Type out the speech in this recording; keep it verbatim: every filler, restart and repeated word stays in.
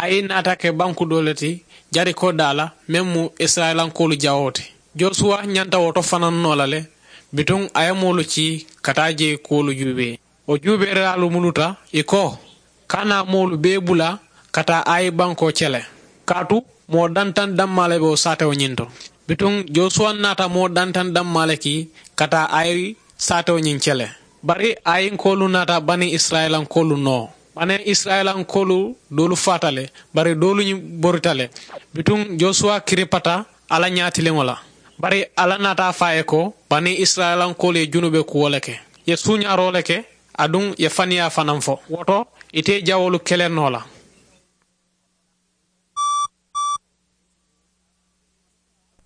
Ayi naata ke banku doo le ti jarikoo daa la meŋ mu isirayilankoolu jawoo ti. Josuwa ñanta wo to fanaŋ noo la le. Bituŋ a ye moolu cii ka taa jee kuwolu juubee. Wo juubeeriyaalu muluta i ko, ka naa moolu bee bula ka taa ayi bankoo cele. Kaatu moo dantaŋ dammaa le be wo saatewo ñiŋ to. Bituŋ josuwa naata moo dantaŋ dammaa le kii ka taa ayi saatewo ñiŋ cele. Bari ayinkoolu naata bani isirayilankoolu noo. Bani isirayilankoolu doolu faata le, bari doolu ñiŋ borita le. Bituŋ josuwa kiripata alla ñaatiliŋo la. Bari alla naata a fo a ye ko bani isirayilankoolu ye junube kuwo le ke, ye suuñaaroo le ke, aduŋ ye faniyaa fanaŋ fo. Wo to ite ye jawoolu kele noo la.